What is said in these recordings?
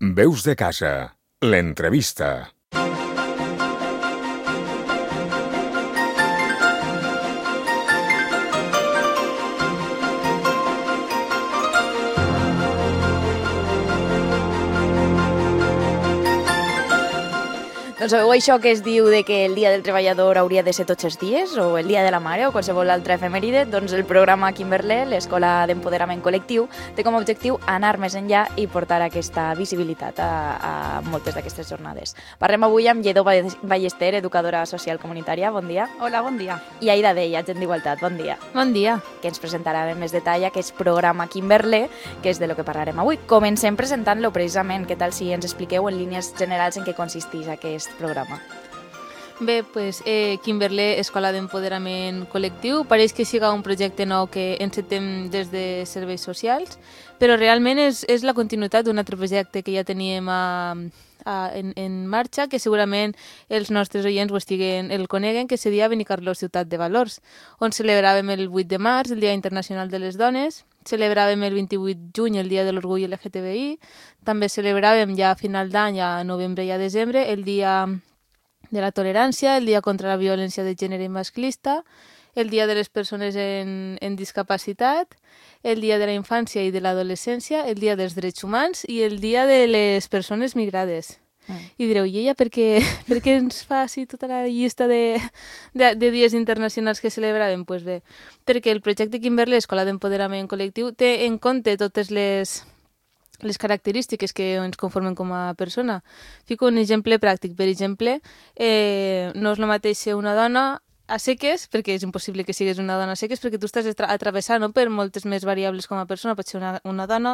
Veus de casa, l'entrevista. Doncs sabeu això que es diu de que el Dia del Treballador hauria de ser tots els dies, o el Dia de la Mare, o qualsevol altra efemèride? Doncs el programa Kimberlé, l'Escola d'Empoderament Col·lectiu, té com a objectiu anar més enllà i portar aquesta visibilitat a moltes d'aquestes jornades. Parlem avui amb Lledó Ballester, educadora social comunitària. Bon dia. Hola, bon dia. I Aida Dei, agent d'Igualtat. Bon dia. Bon dia. Que ens presentarà en més detall aquest programa Kimberlé, que és de lo que parlarem avui. Comencem presentant-lo precisament. Què tal si ens expliqueu en línies generals en què consisteix aquest programa? Bé, pues, Kimberlé, Escola d'Empoderament Col·lectiu, pareix que siga un projecte nou que encetem des de Serveis Socials, però realment és la continuïtat d'un altre projecte que ja teníem en marxa, que segurament els nostres oients el coneguen, que seria Benicarló Ciutat de Valors, on celebràvem el 8 de març, el Dia Internacional de les Dones, celebràvem el 28 de juny, el Dia de l'Orgull LGTBI, també celebràvem ja a final d'any, a novembre i a desembre, el Dia de la Tolerància, el Dia contra la Violència de Gènere i Masclista, el Dia de les Persones en Discapacitat, el Dia de la Infància i de l'Adolescència, el Dia dels Drets Humans i el Dia de les Persones Migrades. I direu, i ella per què ens fa així tota la llista de dies internacionals que celebràvem? Doncs bé, perquè el projecte Kimberlé, Escola d'Empoderament Col·lectiu, té en compte totes les característiques que ens conformen com a persona. Fico un exemple pràctic. Per exemple, no és el mateix ser una dona a seques, perquè és impossible que siguis una dona a seques, perquè tu estàs atravessant per moltes més variables com a persona. Pots ser una dona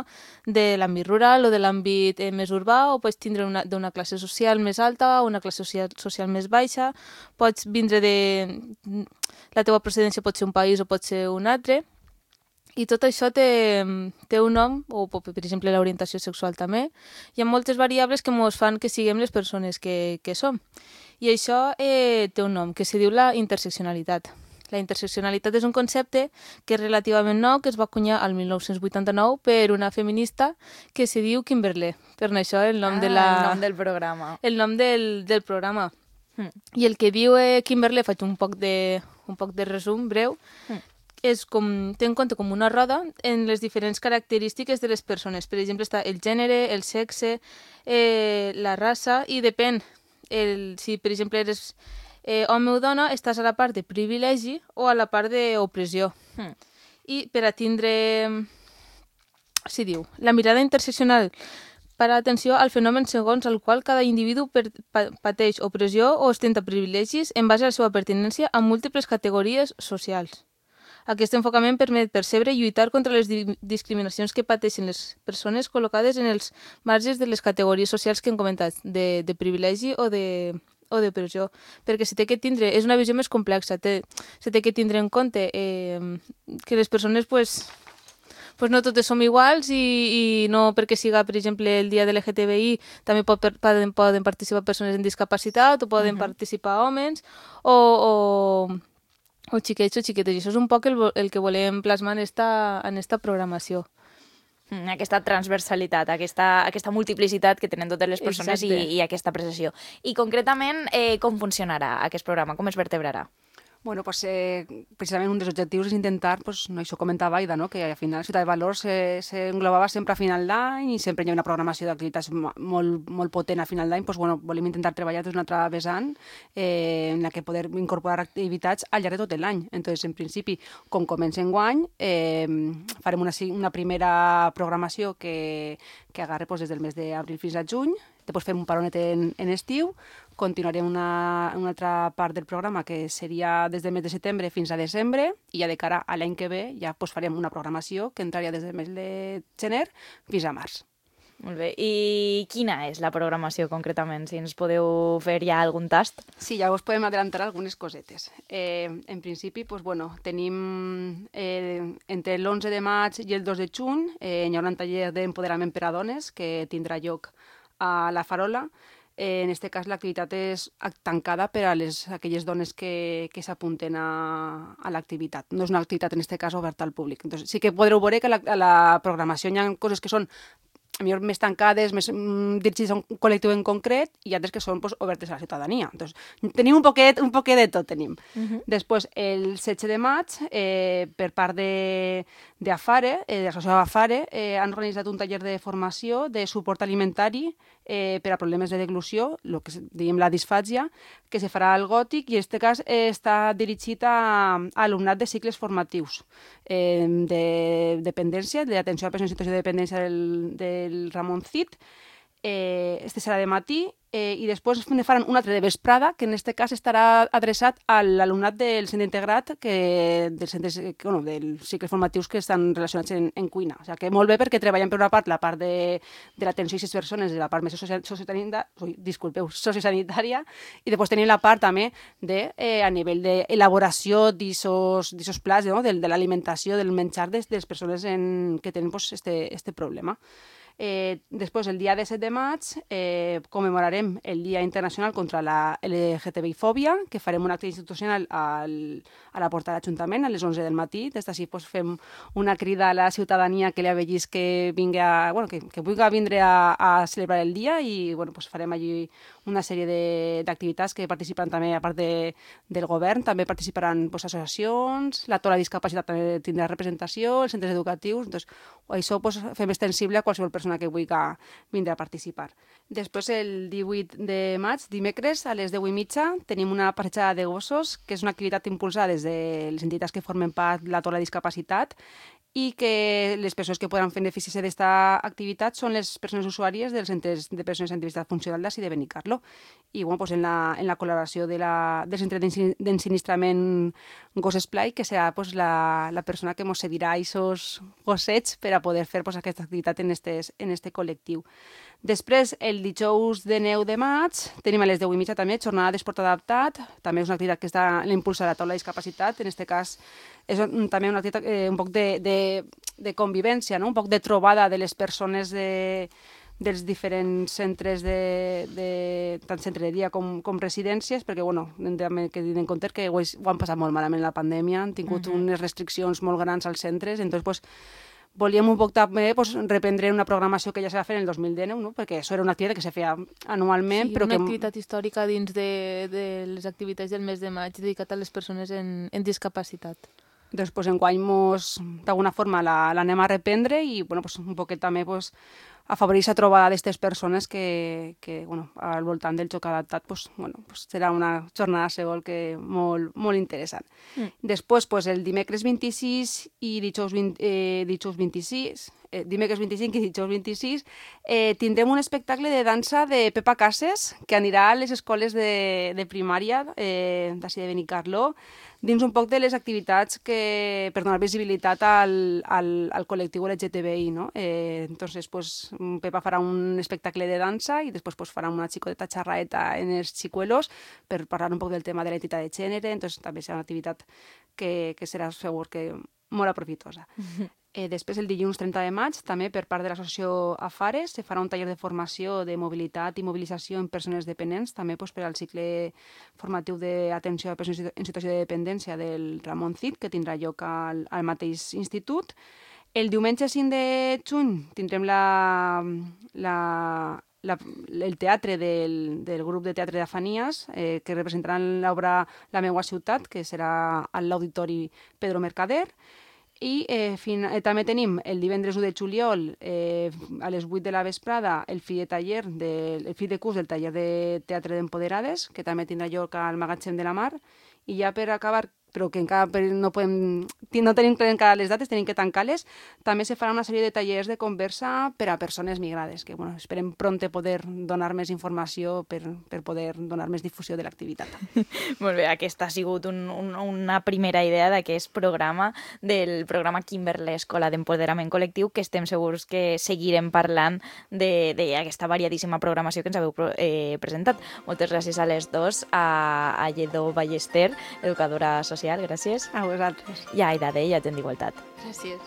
de l'àmbit rural o de l'àmbit més urbà, o pots tindre d'una classe social més alta o una classe social més baixa. Pots vindre la teva procedència pot ser un país o pot ser un altre. I tot això té un nom, o per exemple l'orientació sexual també. Hi ha moltes variables que ens fan que siguem les persones que som. I això té un nom, que se diu la interseccionalitat. La interseccionalitat és un concepte que és relativament nou, que es va acunyar al 1989 per una feminista que se diu Kimberlé. Per això el nom el nom del programa. El nom del programa. I el que diu Kimberlé, faig un poc de resum breu, és té en compte com una roda en les diferents característiques de les persones. Per exemple, està el gènere, el sexe, la raça, i depèn. Si, per exemple, eres home o dona, estàs a la part de privilegi o a la part d'opressió. I per a tindre... s'hi diu, la mirada interseccional para atenció al fenomen segons el qual cada individu pateix opressió o ostenta privilegis en base a la seva pertinença a múltiples categories socials. Aquest enfocament permet percebre i lluitar contra les discriminacions que pateixen les persones col·locades en els marges de les categories socials que hem comentat, de privilegi o de pressió. Perquè se té que tindre, és una visió més complexa, se té que tindre en compte que les persones pues no totes som iguals i no perquè siga, per exemple, el dia de l'LGTBI també poden participar persones amb discapacitat o poden participar homes o xiquets o xiquetes. I això és un poc el que volem plasmar en esta programació. Aquesta transversalitat, aquesta multiplicitat que tenen totes les persones i aquesta apreciació. I concretament, com funcionarà aquest programa? Com es vertebrarà? Bueno, pues, precisament un dels objectius és intentar, pues, no, això comentava Aida, no? Que al final Ciutat de Valors s'englobava sempre a final d'any i sempre hi ha una programació d'activitats molt potent a final d'any. Pues, bueno, volem intentar treballar des d'una altra vessant en la que poder incorporar activitats al llarg de tot l'any. Entonces, en principi, com comença enguany, farem una primera programació que agarre pues, des del mes d'abril fins a juny. Després fem un paronet en estiu, continuarem una altra part del programa que seria des del mes de setembre fins a desembre i ja de cara a l'any que ve ja pues, farem una programació que entraria des del mes de gener fins a març. Molt bé. I quina és la programació concretament? Si ens podeu fer ja algun tast? Sí, ja us podem adelantar algunes cosetes. En principi, pues, bueno, tenim entre l'11 de maig i el 2 de juny hi haurà un taller d'empoderament per a dones que tindrà lloc a la Farola. En aquest cas, l'activitat és tancada per a aquelles dones que s'apunten a l'activitat. No és una activitat, en aquest cas, oberta al públic. Entonces, sí que podreu veure que a la programació hi ha coses que són millor més tancades, més dirigides a un col·lectiu en concret, i altres que són pues, obertes a la ciutadania. Entonces, tenim un poquet de tot, tenim. Després, el 16 de maig, per part d'Afare, de l'associació Afare, han organitzat un taller de formació de suport alimentari per a problemes de deglució, el que diem la disfàgia, que se farà al Gòtic, i en aquest cas està dirigit a alumnat de cicles formatius de dependència, d'atenció a persones en situació de dependència del Ramon Cid. Este serà de matí, i després faran un altre de vesprada, que en aquest cas estarà adreçat a l'alumnat del centre integrat, dels cicles formatius que estan relacionats en cuina. O sigui que molt bé, perquè treballen per una part la part de l'atenció a aquestes persones, de la part més sociosanitària, i després tenim la part també a nivell d'elaboració d'aquests plats, no? de l'alimentació, del menjar de les persones que tenen aquest problema. Després, el dia 17 de maig, commemorarem el Dia Internacional contra la LGTBI-fòbia, que farem un acte institucional a la porta de l'Ajuntament a les 11 del matí. Des d'ací fem una crida a la ciutadania que li avellis que vulgui vindre a celebrar el dia, i farem allí una sèrie d'activitats que participaran també, a part del govern, també participaran associacions, la Tola Discapacitat també tindrà representació, els centres educatius. Doncs, això fem extensible a qualsevol persona que vulgui vindre a participar. Després, el 18 de maig, dimecres, a les 10:30, tenim una passejada de gossos, que és una activitat impulsada des de les entitats que formen part de la Tola Discapacitat, i que les persones que poden beneficiar d'aquesta activitat són les persones usuàries dels centres de persones amb diversitat funcional d'Ací de Benicarló. I en la col·laboració del centre d'ensinistrament Gos Esplai, que serà la persona que ens cedirà aquests gossets per a poder fer aquesta activitat en este col·lectiu. Després, el dijous de 9 de maig, tenim a les 10:30 també jornada d'esport adaptat. També és una activitat que l'impulsa la Taula de Discapacitat. En aquest cas, és també una activitat un poc de convivència, no? Un poc de trobada de les persones dels diferents centres, tant centre de dia com residències, perquè hem de tenir en compte que ho han passat molt malament la pandèmia, han tingut unes restriccions molt grans als centres, doncs volíem un poc també reprendre una programació que ja se va fer en el 2019, no? Perquè això era una activitat que se feia anualment. Sí, una activitat històrica dins de les activitats del mes de maig dedicat a les persones en discapacitat. Doncs enguany d'alguna forma l'anem a reprendre, i un poquet també afavorir la trobada d'aquestes persones que al voltant del joc adaptat serà una jornada segur que molt interessant. Després, el dimecres 26 i dijous 26, dimecres 25 i dijous 26, tindrem un espectacle de dansa de Pepa Cases, que anirà a les escoles de primària d'Ací de Benicarló, dins un poc de les activitats per donar visibilitat al col·lectiu LGTBI, no? Entonces, Pepa farà un espectacle de dansa, i després farà una xicoteta xerraeta en els xicuelos per parlar un poc del tema de la identitat de gènere. Entonces, també serà una activitat que serà segur que molt aprofitosa. Després, el dilluns 30 de maig, també per part de l'associació Afare, se farà un taller de formació de mobilitat i mobilització en persones dependents, també per al cicle formatiu d'atenció a persones en situació de dependència del Ramon Cid, que tindrà lloc al mateix institut. El diumenge 5 de juny tindrem el teatre del grup de teatre d'Afanies, que representaran l'obra La meua ciutat, que serà a l'Auditori Pedro Mercader. I també tenim el divendres 1 de juliol a les 8 de la vesprada el fi de curs del taller de teatre d'Empoderades, que també tindrà lloc al Magatzem de la Mar. I ja per acabar, però que encara no tenim clar encara les dates, tenim que tancar-les, també se farà una sèrie de tallers de conversa per a persones migrades, que esperem prompte poder donar més informació per poder donar més difusió de l'activitat. Molt bé, aquesta ha sigut una primera idea d'aquest programa, del programa Kimberlé Escola d'Empoderament Col·lectiu, que estem segurs que seguirem parlant d'aquesta variadíssima programació que ens haveu presentat. Moltes gràcies a les dos, a Lledó Ballester, educadora social, gràcies. A vosaltres. I a Aida Dei, agent d'Igualtat. Gràcies.